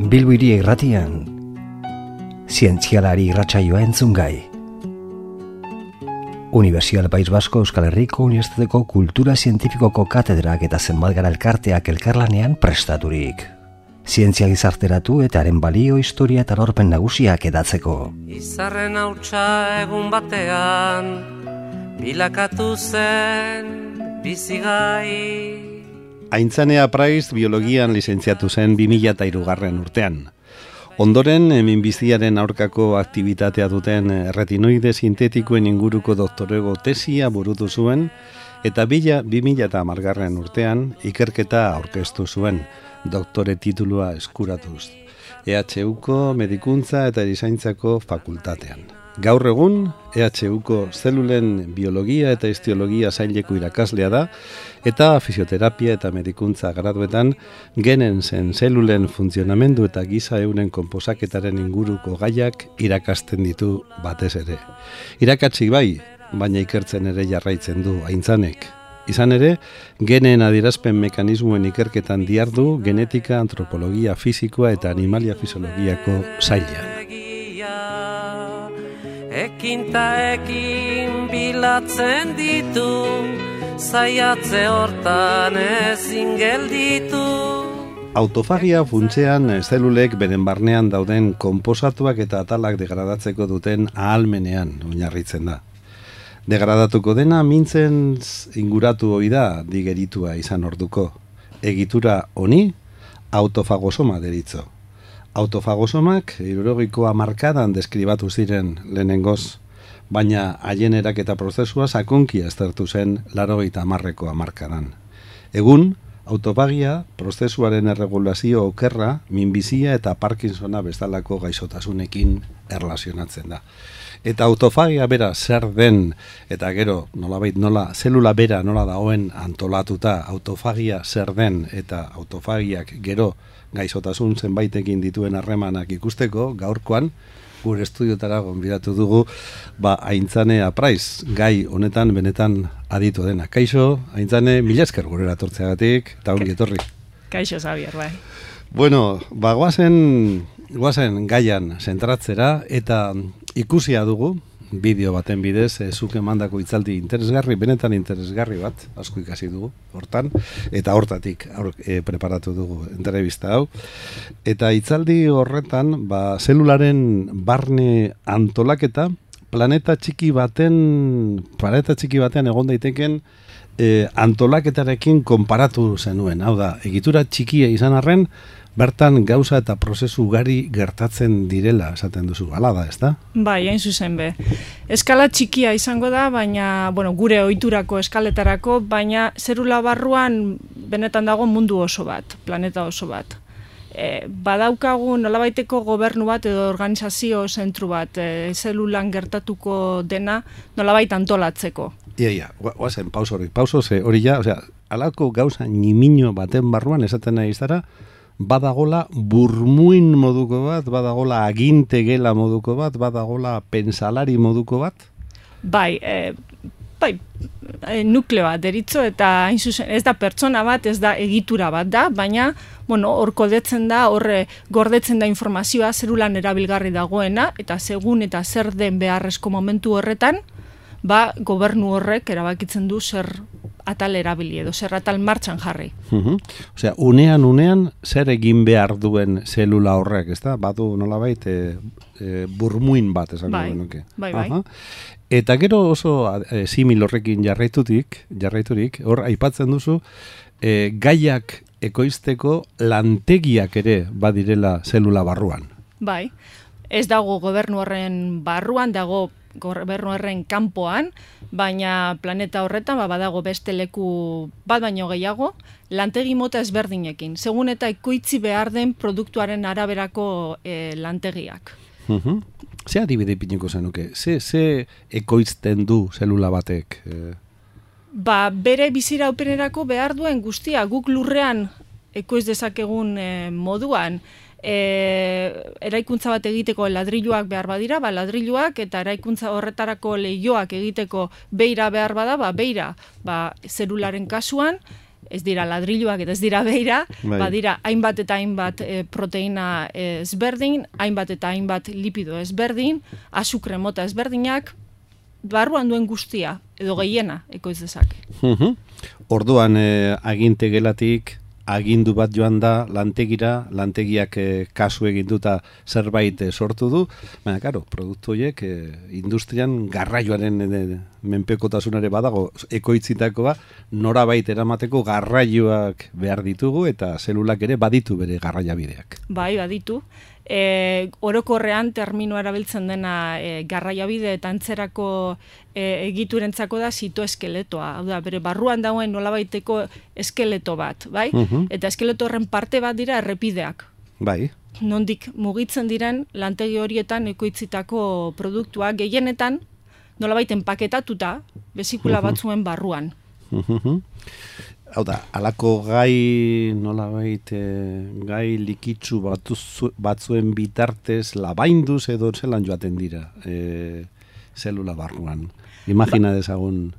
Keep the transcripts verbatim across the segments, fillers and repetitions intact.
Bilbo Hiri Irratian, zientzialari irratsaioa entzungai. Unibertsitate País Basko Euskal Herriko Unibertsitateko Kultura Zientifikoko katedrak eta zenbat gara elkarteak elkarlanean prestaturik. Zientzia gizarteratu eta haren balio, historia eta lorpen nagusiak edatzeko. Izarren hautsa egun batean, bilakatu zen bizigai. Aintzane Apraiz biologian lizentziatu zen bi mila hirugarren urtean. Ondoren, minbiziaren aurkako aktibitatea duten retinoide sintetikoen inguruko doktorego tesia burutu zuen, eta bila bi mila hamargarren urtean ikerketa aurkeztu zuen, doktore titulua eskuratuz, E H Uko Medikuntza eta Erizaintzako fakultatean. Gaur egun, E H Uko zelulen biologia eta histologia saileko irakaslea da, eta fisioterapia eta medikuntza graduetan genen zen zelulen funtzionamendu eta giza euren konposaketaren inguruko gaiak irakasten ditu batez ere. Irakatsi bai, baina ikertzen ere jarraitzen du Aintzanek. Izan ere, genen adierazpen mekanismoen ikerketan diardu genetika, antropologia fisikoa eta animalia fisiologiako sailean. Ekin ta ekin bilatzen ditu, zaiatze hortan ezin gelditu. Autofagia funtsean zelulek beren barnean dauden konposatuak eta atalak degradatzeko duten ahalmenean oinarritzen da. Degradatuko dena mintzen inguratu ohi da digeritua izan orduko. Egitura honi autofagosoma deritzo. Autofagosomak hirurogiko hamarkadan deskribatu ziren lehenengoz, baina haien eraketa prozesua sakonki aztertu zen laurogeita hamarreko hamarkadan. Egun, autofagia prozesuaren erregulazio okerra, minbizia eta Parkinsona bezalako gaixotasunekin erlazionatzen da. Eta autofagia bera zer den, eta gero nolabait nola, zelula bera nola dagoen antolatuta, autofagia zer den eta autofagiak gero gaixotasun zenbaitekin dituen harremanak ikusteko, gaurkoan gure estudiotara gonbidatu dugu ba Aintzane Apraiz, gai honetan benetan aditu dena. Kaixo, Aintzane, mila esker gurera etortzeagatik, eta ongi etorri. Kaixo, Xabier, bai. Bueno, ba guazen, guazen gaian zentratzera, eta ikusia dugu, bideo baten bidez, e, zuk emandako hitzaldi interesgarri, benetan interesgarri bat, asko ikasi dugu, hortan, eta hortatik aur, e, preparatu dugu entrevista hau. Eta hitzaldi horretan, ba, zelularen barne antolaketa, planeta txiki baten, planeta txiki batean egon daiteken e, antolaketarekin konparatu zenuen. Hau da, egitura txikia izan arren, bertan gauza eta prozesu ugari gertatzen direla esaten duzu, hala da, ezta? Bai, hain zuzen be. Eskala txikia izango da, baina, bueno, gure ohiturako eskaletarako, baina zerula barruan benetan dago mundu oso bat, planeta oso bat. E, badaukagu nolabaiteko gobernu bat edo organizazio zentru bat, e, zelulan gertatuko dena nolabait antolatzeko. Ia, ia, guazen, paus hori, paus hori ja, osea, alako gauza nimino baten barruan esaten nahi izara, badagola burmuin moduko bat, badagola aginte gela moduko bat, badagola pensalari moduko bat? Bai, e, bai, e, nukleoa deritzo eta hain zuzen, ez da pertsona bat, ez da egitura bat da, baina, bueno, hor kodetzen da, horre gordetzen da informazioa zerulan erabilgarri dagoena, eta segun eta zer den beharrezko momentu horretan, ba, gobernu horrek erabakitzen du zer atal erabili edo zer atal martxan jarri. Uh-huh. Osea, unean unean zer egin behar duen zelula horrek, ezta? Badu nolabait e, e, burmuin bat esango bai, genuke. Bai, bai. Aha. Eta gero oso e, simil horrekin jarraitutik, jarraiturik, hor aipatzen duzu e, gaiak ekoizteko lantegiak ere badirela zelula barruan. Bai. Ez dago gobernu horren barruan, dago gobernu horren kanpoan, baina planeta horretan ba, badago beste leku bat baino gehiago, lantegi mota ezberdinekin, segun eta ikoitzi behar den produktuaren araberako e, lantegiak. Uh-huh. Ze adibide ipiniko zenuke? Ze, ze ekoizten du zelula batek? E... Ba, bere biziraupenerako behar duen guztia, guk lurrean ekoiz dezakegun e, moduan, E, eraikuntza bat egiteko ladriluak behar badira, ba, ladriluak eta eraikuntza horretarako lehioak egiteko beira behar bada, ba, beira, ba, zelularen kasuan, ez dira ladriluak eta ez dira beira, bai. badira hainbat eta hainbat e, proteina ezberdin, hainbat eta hainbat lipido ezberdin, azukre mota ezberdinak, barruan duen guztia, edo gehiena, ekoiz dezake. Uh-huh. Orduan, eh, aginte gelatik, agindu bat joan da lantegira, lantegiak eh, kasu eginduta zerbait eh, sortu du, baina, karo, produktu horiek eh, industrian garraioaren eh, menpekotasunare badago, ekoitzitakoa, norabait eramateko garraioak behar ditugu, eta zelulak ere baditu bere garraiabideak. Bai, baditu. E, orokorrean terminoa erabiltzen dena e, garraiabide eta antzerako e, egiturentzako da zitoeskeletoa. Hau da, bere barruan dagoen nolabaiteko eskeleto bat, bai? Uh-huh. Eta eskeleto horren parte bat dira errepideak. Bai. Nondik mugitzen diren lantegi horietan ekoitzitako produktuak gehienetan nolabait enpaketatuta bezikula Uh-huh. batzuen barruan. Uh-huh. Hau da, alako gai, nolabait, eh, gai likitsu batuz, batzuen bitartez labainduz edo zelan joaten dira eh, zelula barruan. Imagina dezagun.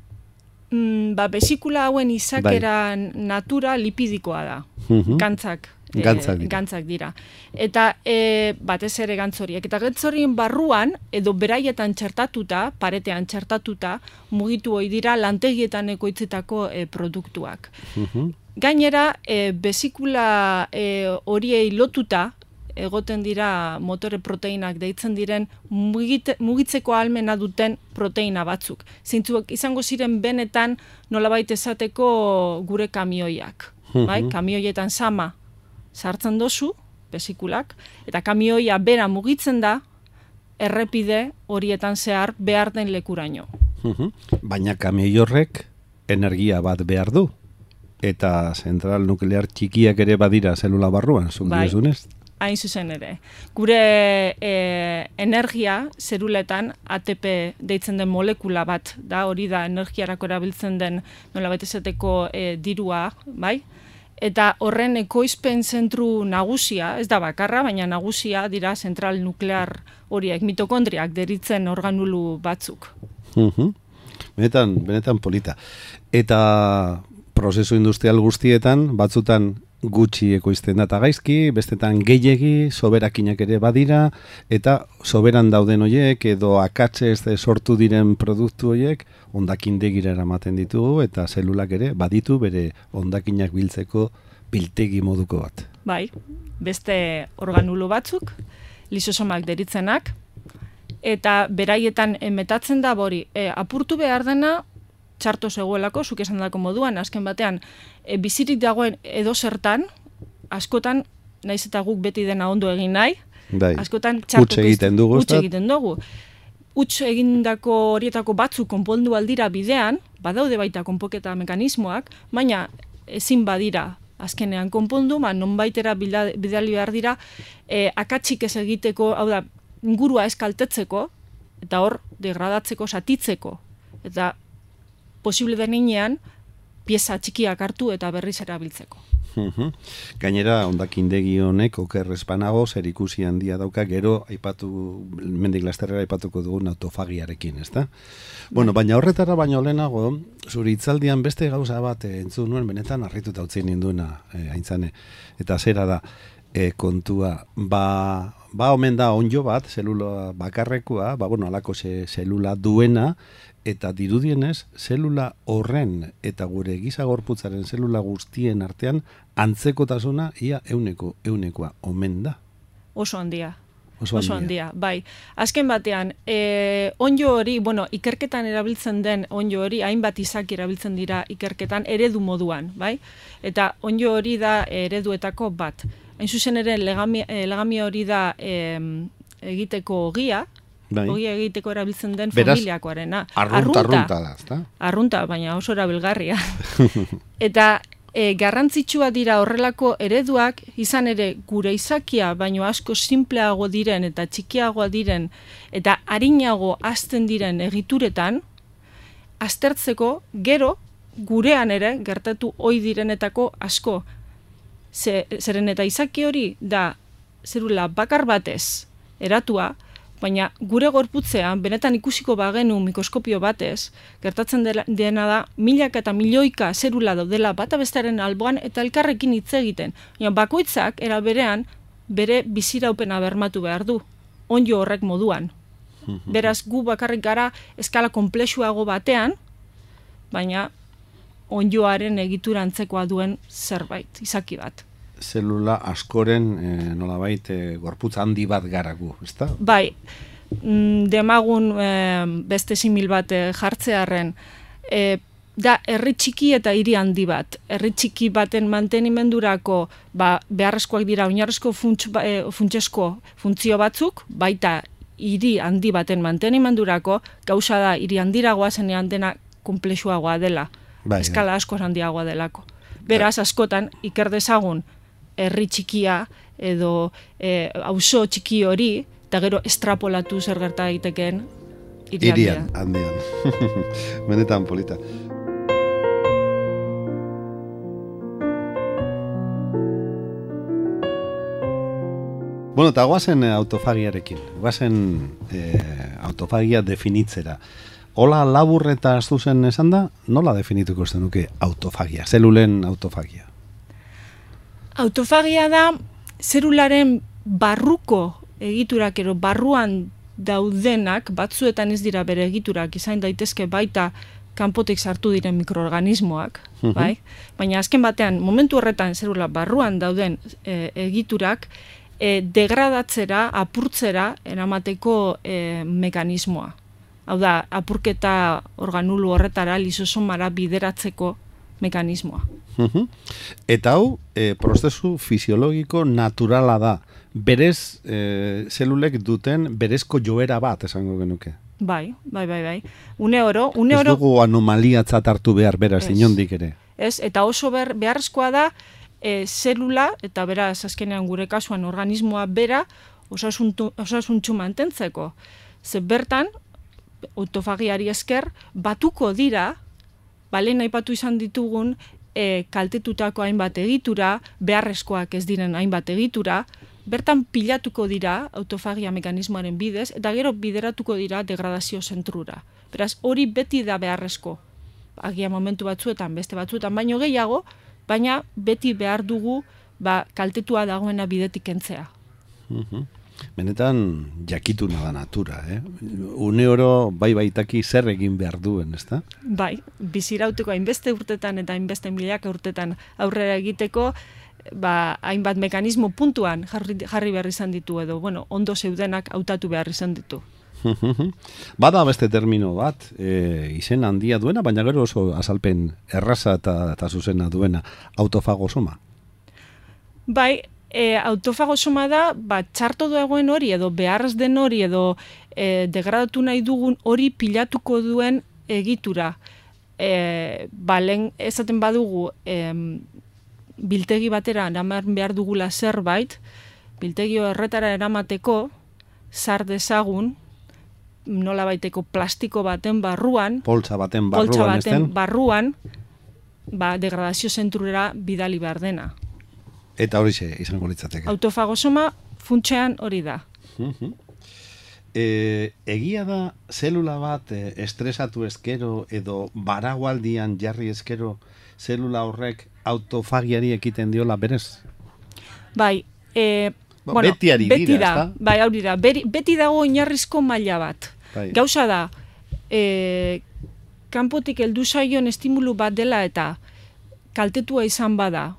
Mm, ba, besikula hauen izakera natura lipidikoa da. Uh-huh. Gantzak. eh, Gantzak dira. gantzak dira. Eta e, batez ere gantzoriek. Eta gantzorien barruan, edo beraietan txertatuta, paretean txertatuta, mugitu hoi dira lantegietan ekoitzitako e, produktuak. Uh-huh. Gainera, e, besikula e, horiei lotuta, egoten dira motore proteinak deitzen diren mugite, mugitzeko ahalmena duten proteina batzuk. Zintzuak izango ziren benetan nolabait esateko gure kamioiak. Mhm. Bai? Kamioietan sama sartzen dozu, besikulak, eta kamioia bera mugitzen da errepide horietan zehar behar den lekuraino. Uh-huh. Baina kamioi horrek energia bat behar du. Eta zentral nuklear txikiak ere badira zelula barruan, zuk Bai. diezunez? Hain zuzen ere. Gure e, energia zeruletan A T P deitzen den molekula bat da, hori da energiarako erabiltzen den nolabait esateko e, dirua, bai? Eta horren ekoizpen zentru nagusia, ez da bakarra, baina nagusia dira zentral nuklear horiek, mitokondriak deritzen organulu batzuk. Uh-huh. Benetan, benetan polita. Eta prozesu industrial guztietan, batzutan gutxi ekoizten data gaizki, bestetan gehiegi, soberakinak ere badira, eta soberan dauden hoiek, edo akatze ez sortu diren produktu hoiek, hondakindegira eramaten ditugu, eta zelulak ere baditu bere hondakinak biltzeko biltegi moduko bat. Bai, beste organulu batzuk, lisosomak deritzenak, eta beraietan metatzen da bori, e, apurtu behar dena, txarto zegoelako, zuk esan dako moduan, azken batean, e, bizirik dagoen edo zertan, askotan, naiz eta guk beti dena ondo egin nahi, Bai. askotan txarto Huts egiten dugu, huts egiten dugu. Huts egindako horietako batzu konpondu aldira bidean, badaude baita konpoketa mekanismoak, baina ezin badira azkenean konpondu, ba, nonbaitera bidali behar dira, e, akatsik ez egiteko, hau da, ingurua eskaltetzeko, eta hor, degradatzeko, satitzeko, eta posible denean, pieza txikiak hartu eta berriz erabiltzeko. Uh-huh. Gainera, hondakindegi honek oker espanago zer ikusi handia dauka, gero aipatu, mendik lasterrera aipatuko dugun autofagiarekin, ezta? Bueno, baina horretara baino lehenago, zure hitzaldian beste gauza bat eh, entzun nuen, benetan harrituta utzi ninduena, eh, aintzane, eta zera da, eh, kontua, ba, ba omen da onjo bat, zelula bakarrekoa, ba, bueno, alako ze, zelula duena, eta dirudienez, zelula horren eta gure giza gorputzaren zelula guztien artean antzekotasuna ia euneko, eunekoa omen da. Oso handia. Oso Oso handia. handia, bai. Azken batean, e, onjo hori, bueno, ikerketan erabiltzen den onjo hori, hainbat izaki erabiltzen dira ikerketan eredu moduan, bai? Eta onjo hori da ereduetako bat. Hain zuzen ere, legami, legami hori da e, egiteko ogia, Bai. ogia egiteko erabiltzen den Beraz, familiakoarena. Arrunta, arrunta da, ezta? Arrunta, baina oso erabilgarria. Eta e, garrantzitsua dira horrelako ereduak, izan ere gure izakia, baino asko simpleago diren eta txikiagoa diren, eta arinago hazten diren egituretan, aztertzeko gero gurean ere gertatu ohi direnetako asko. Ze, zeren eta izaki hori da zerula bakar batez eratua, Baina gure gorputzean, benetan ikusiko bagenu mikroskopio batez, gertatzen dena da, milaka eta milioika zerula daudela bata bestearen alboan eta elkarrekin hitz egiten. Baina bakoitzak, era berean, bere biziraupena bermatu behar du, onjo horrek moduan. Beraz, gu bakarrik gara eskala konplexuago batean, baina onjoaren egitura antzekoa duen zerbait, izaki bat. Zelula askoren e, nolabait e, gorputz handi bat gara gu, ezta? Bai, demagun e, beste simil bat e, jartzearren, e, da herri txiki eta hiri handi bat. Herri txiki baten mantenimendurako ba, beharrezkoak dira oinarrizko funts, e, funtsesko funtzio batzuk, baita hiri handi baten mantenimendurako, gauza da hiri handiragoa zenean dena konplexuagoa dela, bai, eskala asko handiagoa delako. Beraz, askotan, iker dezagun, herri txikia edo e, auzo txiki hori, eta gero estrapolatu zer gerta egiteken hirian handian. Benetan polita. Bueno, eta guazen autofagiarekin, guazen e, autofagia definitzera. Hola labur eta zuzen esan da, nola definituko zenuke autofagia, zelulen autofagia? Autofagia da zelularen barruko egiturak ero barruan daudenak, batzuetan ez dira bere egiturak, izan daitezke baita kanpotik sartu diren mikroorganismoak, uh-huh. bai? Baina azken batean, momentu horretan zelula barruan dauden e, egiturak, e, degradatzera, apurtzera, eramateko e, mekanismoa. Hau da, apurketa organulu horretara lisosomara bideratzeko mekanismoa. Uh-huh. Eta hau, e, prozesu fisiologiko naturala da. Berez, e, zelulek duten berezko joera bat, esango genuke. Bai, bai, bai, bai. Une oro, une ez oro... dugu anomaliatzat hartu behar beraz, inondik ere. Ez, eta oso ber, beharrezkoa da, e, zelula, eta beraz, azkenean gure kasuan organismoa bera, osasuntxu mantentzeko. Ze bertan, autofagiari esker, batuko dira, balen aipatu izan ditugun, e, kaltetutako hainbat egitura, beharrezkoak ez diren hainbat egitura, bertan pilatuko dira autofagia mekanismoaren bidez, eta gero bideratuko dira degradazio zentrura. Beraz, hori beti da beharrezko. Agia momentu batzuetan, beste batzuetan, baino gehiago, baina beti behar dugu ba, kaltetua dagoena bidetik kentzea. Uh-huh. Benetan jakituna da natura, eh? Une oro bai baitaki zer egin behar duen, ezta? Bai, bizirauteko hainbeste urtetan eta hainbeste milaka urtetan aurrera egiteko, ba, hainbat mekanismo puntuan jarri, jarri behar izan ditu edo, bueno, ondo zeudenak hautatu behar izan ditu. Bada beste termino bat, e, izen handia duena, baina gero oso azalpen erraza eta, eta zuzena duena, autofagosoma. Bai, e, autofagosoma da, ba, txarto dagoen hori edo beharrez den hori edo e, degradatu nahi dugun hori pilatuko duen egitura. E, ba, lehen esaten badugu, e, biltegi batera eraman behar dugula zerbait, biltegi horretara eramateko, zar dezagun, nola baiteko plastiko baten barruan, poltsa baten barruan, poltsa baten barruan, ba, degradazio zentrura bidali behar dena. Eta hori ze, izango litzateke. Autofagosoma funtsean hori da. Uh-huh. E, egia da, zelula bat e, estresatu eskero edo baragualdian jarri eskero, zelula horrek autofagiari ekiten diola berez? Bai, e, ba, bueno, beti ari beti dira, da, bai, hori da, beri, beti dago oinarrizko maila bat. Bai. Gauza da, e, kanpotik heldu zaion estimulu bat dela eta kaltetua izan bada,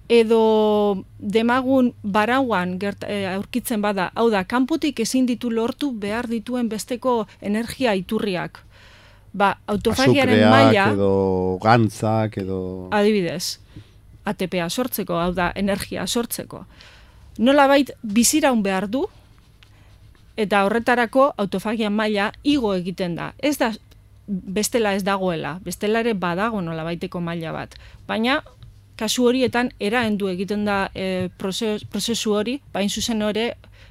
edo demagun barauan gert, e, aurkitzen bada, hau da, kanpotik ezin ditu lortu behar dituen besteko energia iturriak. Ba, autofagiaren maila... edo gantzak, edo... Adibidez, A T P a sortzeko, hau da, energia sortzeko. Nolabait biziraun behar du, eta horretarako autofagia maila igo egiten da. Ez da, bestela ez dagoela, bestela ere badago nolabaiteko maila bat. Baina, kasu horietan, eraendu egiten da e, prozesu, prozesu hori, bain zuzen hori,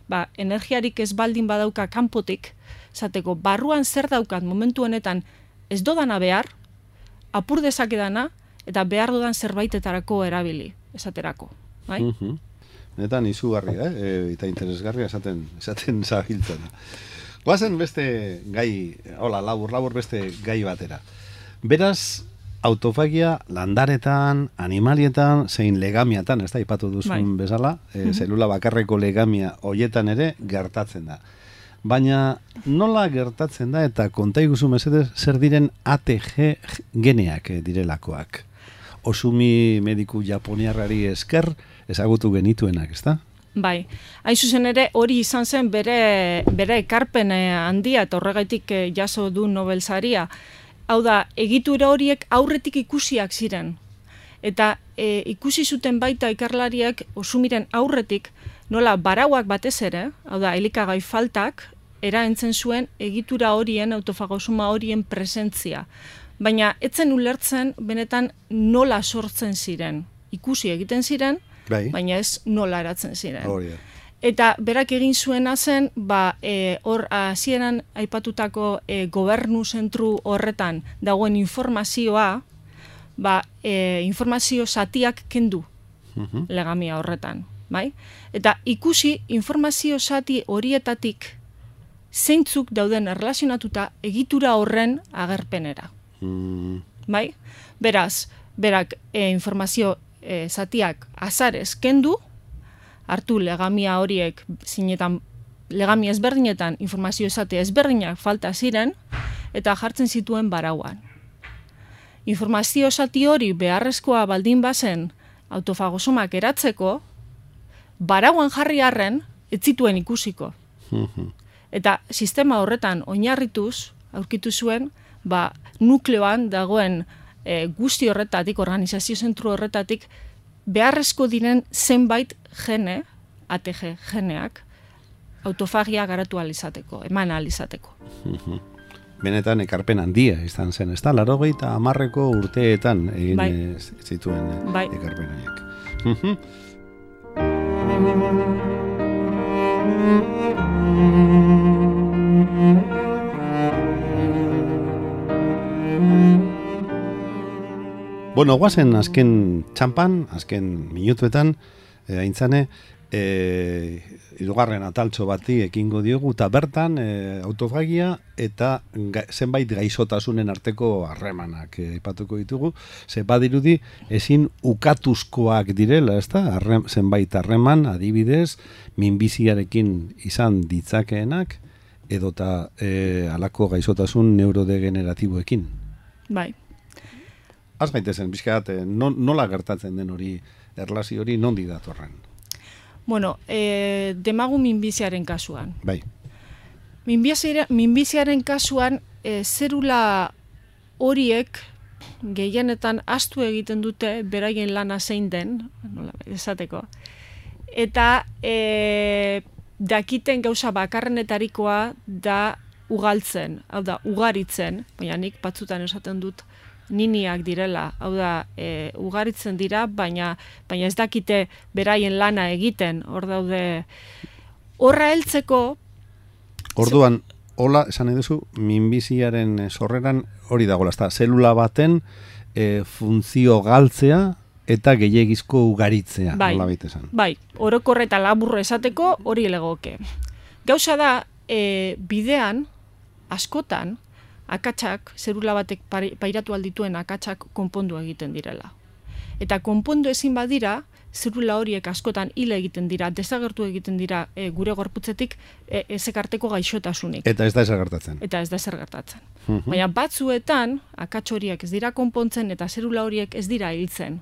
ba, energiarik ez baldin badauka kanpotik, zateko, barruan zer daukat momentu honetan ez dodana behar, apur dezakedana, eta behar dudan zerbaitetarako erabili, esaterako. Bai? Uh-huh. Netan izugarria, eh? E, eta interesgarria esaten, esaten zabiltzen. Guazen beste gai, hola, labur, labur beste gai batera. Beraz, autofagia landaretan, animalietan, zein legamiatan, ez da, ipatu duzun bai. Bezala, e, zelula bakarreko legamia hoietan ere gertatzen da. Baina nola gertatzen da eta konta iguzu mesedez zer diren A T G geneak direlakoak? Osumi mediku japoniarrari esker ezagutu genituenak, ezta? Bai, hain zuzen ere hori izan zen bere, bere ekarpen handia eta horregaitik jaso du Nobel saria. Hau da, egitura horiek aurretik ikusiak ziren. Eta e, ikusi zuten baita ikerlariak osumiren aurretik nola barauak batez ere, hau da, elikagai faltak, eraentzen zuen egitura horien, autofagosoma horien presentzia. Baina etzen ulertzen benetan nola sortzen ziren. Ikusi egiten ziren, bai. Baina ez nola eratzen ziren. Oh, yeah. Eta berak egin zuena zen, ba, e, hor hasieran aipatutako e, gobernu zentru horretan dagoen informazioa, ba, e, informazio zatiak kendu uh-huh. legamia horretan. Bai? Eta ikusi informazio zati horietatik zeintzuk dauden erlazionatuta egitura horren agerpenera. Mm. Bai? Beraz, berak e, informazio e, zatiak azarez kendu, hartu legamia horiek zinetan, legamia ezberdinetan informazio zati ezberdinak falta ziren, eta jartzen zituen barauan. Informazio zati hori beharrezkoa baldin bazen autofagosomak eratzeko, barauan jarri arren, ez zituen ikusiko. Eta sistema horretan oinarrituz, aurkitu zuen, ba, nukleoan dagoen e, guzti horretatik, organizazio zentru horretatik, beharrezko diren zenbait gene, A T G geneak, autofagia garatu alizateko, eman alizateko. Benetan ekarpen handia izan zen, ez da, laurogeita hamarreko urteetan egin bai. Zituen bai. Ekarpen horiek. Bueno, guazen azken txampan, azken minutuetan, e, aintzane, e, hirugarren ataltxo bati ekingo diogu, eta bertan e, autofagia eta ga, zenbait gaixotasunen arteko harremanak aipatuko e, ditugu, ze badirudi ezin ukatuzkoak direla, ez da? Arrem, zenbait harreman, adibidez, minbiziarekin izan ditzakeenak, edota e, alako gaixotasun neurodegeneratiboekin. Bai. Az gaitezen, bizkat, no, nola gertatzen den hori, erlazio hori nondi datorren? Bueno, e, demagu minbiziaren kasuan. Bai. Minbiziaren, minbiziaren kasuan, e, zerula horiek gehienetan astu egiten dute beraien lana zein den, nola esateko, eta e, dakiten gauza bakarrenetarikoa da ugaltzen, hau da, ugaritzen, baina nik batzutan esaten dut, niniak direla, hau da, e, ugaritzen dira, baina, baina ez dakite beraien lana egiten, hor daude, horra heltzeko... Orduan, hola, esan eduzu, minbiziaren sorreran hori dagoela, ezta, zelula baten e, funtzio galtzea eta gehiegizko ugaritzea, bai, hola baita esan. Bai, orokorre eta laburro esateko hori legoke. Gauza da, e, bidean, askotan, akatsak, zerula batek pairatu aldituen akatsak konpondu egiten direla. Eta konpondu ezin badira, zerula horiek askotan hile egiten dira, desagertu egiten dira e, gure gorputzetik e, ezekarteko gaixotasunik. Eta ez da ezer gertatzen. Eta ez da ezer gertatzen. Uh-huh. Baina batzuetan, akats horiek ez dira konpontzen eta zerula horiek ez dira hiltzen.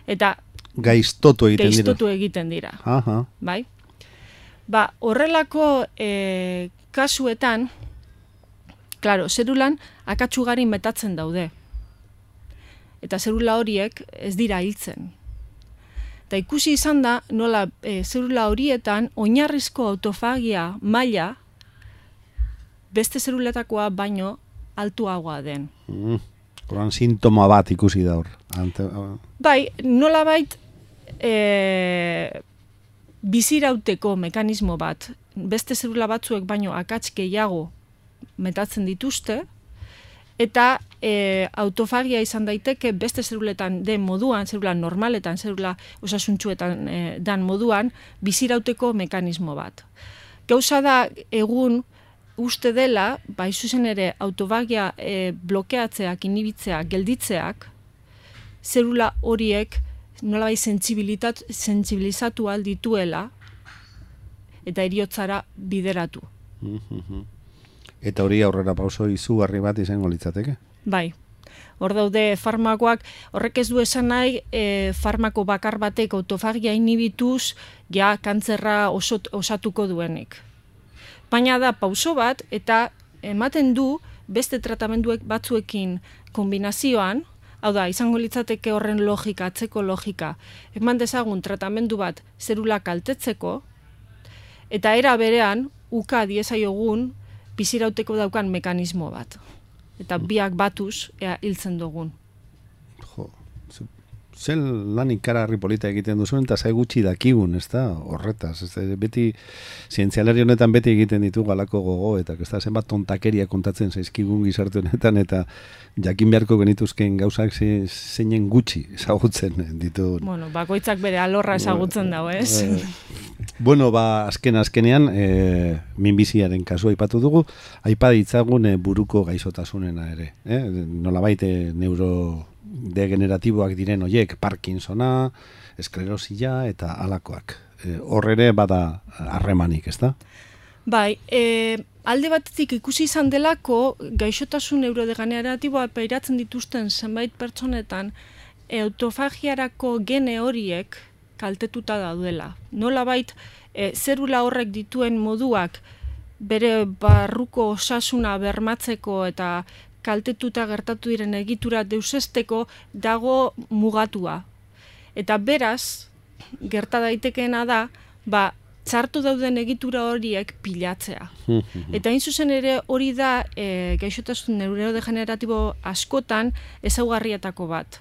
Eta gaiztotu egiten dira. Gaiztotu egiten dira. Aha. Bai? Ba, horrelako e, kasuetan, klaro, zerulan akatsugarin metatzen daude. Eta zerula horiek ez dira hiltzen. Eta ikusi izan da, nola e, zerula horietan oinarrizko autofagia maila beste zeruletakoa baino altuagoa den. Mm, Horan sintoma bat ikusi da hor. Ante, uh... Bai, nola bait e, bizirauteko mekanismo bat, beste zerula batzuek baino akats gehiago metatzen dituzte, eta e, autofagia izan daiteke beste zeruletan den moduan, zerula normaletan, zerula osasuntsuetan e, dan moduan, bizirauteko mekanismo bat. Gauza da egun uste dela, bai zuzen ere autofagia e, blokeatzeak, inhibitzeak, gelditzeak, zerula horiek nolabait sentsibilizatu aldituela eta heriotzara bideratu. Eta hori aurrera pauso izugarri bat izango litzateke? Bai. Hor daude farmakoak, horrek ez du esan nahi e, farmako bakar batek autofagia inhibituz ja kantzerra osot, osatuko duenik. Baina da pauso bat eta ematen du beste tratamenduek batzuekin kombinazioan, hau da, izango litzateke horren logika, atzeko logika, eman dezagun tratamendu bat zerula kaltetzeko, eta era berean, uka diezaiogun bizirauteko daukan mekanismo bat. Eta biak batuz, ea hiltzen dugun. Jo, zen lan ikaragarri polita egiten duzuen, eta zai gutxi dakigun, ez da, horretaz. Ez da, beti, zientzialari honetan beti egiten ditu galako gogo, eta ez da, zenbat tontakeria kontatzen zaizkigun gizarte honetan, eta jakin beharko genituzken gauzak zeinen gutxi ezagutzen ditu. Bueno, bakoitzak bere alorra ezagutzen dago, ez? Bueno, ba, azken azkenean, e, minbiziaren kasua aipatu dugu, aipa ditzagun e, buruko gaizotasunena ere. Eh? Nolabait e, neurodegeneratiboak diren hoiek, Parkinsona, esklerosia eta halakoak. E, hor ere bada harremanik, ez da? Bai, e, alde batetik ikusi izan delako gaixotasun neurodegeneratiboa pairatzen dituzten zenbait pertsonetan e, autofagiarako gene horiek kaltetuta daudela. Nolabait e, zerula horrek dituen moduak bere barruko osasuna bermatzeko eta kaltetuta gertatu diren egitura deusesteko dago mugatua. Eta beraz, gerta daitekeena da, ba, txartu dauden egitura horiek pilatzea. Eta hain zuzen ere hori da e, gaixotasun neurodegeneratibo askotan ezaugarrietako bat.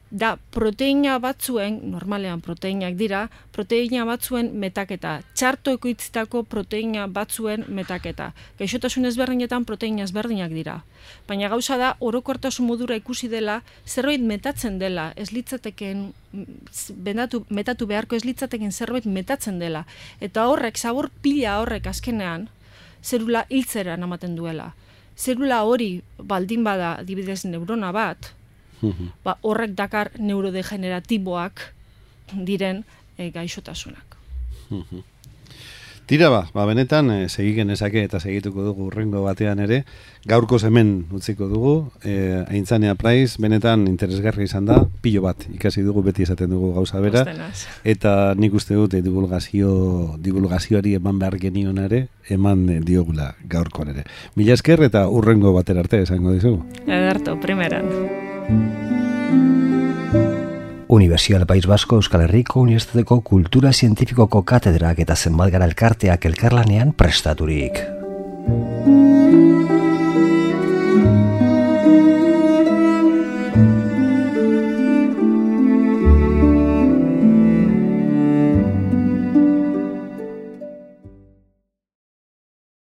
Da proteina batzuen, normalean proteinak dira, proteina batzuen metaketa, txarto ekoitzitako proteina batzuen metaketa. Gaixotasun ezberdinetan proteina ezberdinak dira. Baina gauza da, orokortasun modura ikusi dela, zerbait metatzen dela, ez litzateken, bendatu, metatu beharko ez litzateken zerbait metatzen dela. Eta horrek, zabor pila horrek azkenean, zerula hiltzera ematen duela. Zerula hori baldin bada adibidez neurona bat, ba, horrek dakar neurodegeneratiboak diren e, gaixotasunak. Tira ba, ba benetan e, segigen ezake eta segituko dugu urrengo batean ere, gaurko hemen utziko dugu, e, Aintzane Apraiz, benetan interesgarri izan da, pilo bat ikasi dugu, beti esaten dugu gauza bera, eta nik uste dut e, divulgazio, divulgazioari eman behar genion ere, eman e, diogula gaurkoan ere. Mila esker eta urrengo batera arte esango dizugu. Ederto, primeran. Universidad del País Vasco Euskal Herriko Unibertsitateko Kultura Zientifikoko katedrak eta zenbat gara elkarteak elkarlanean prestaturik.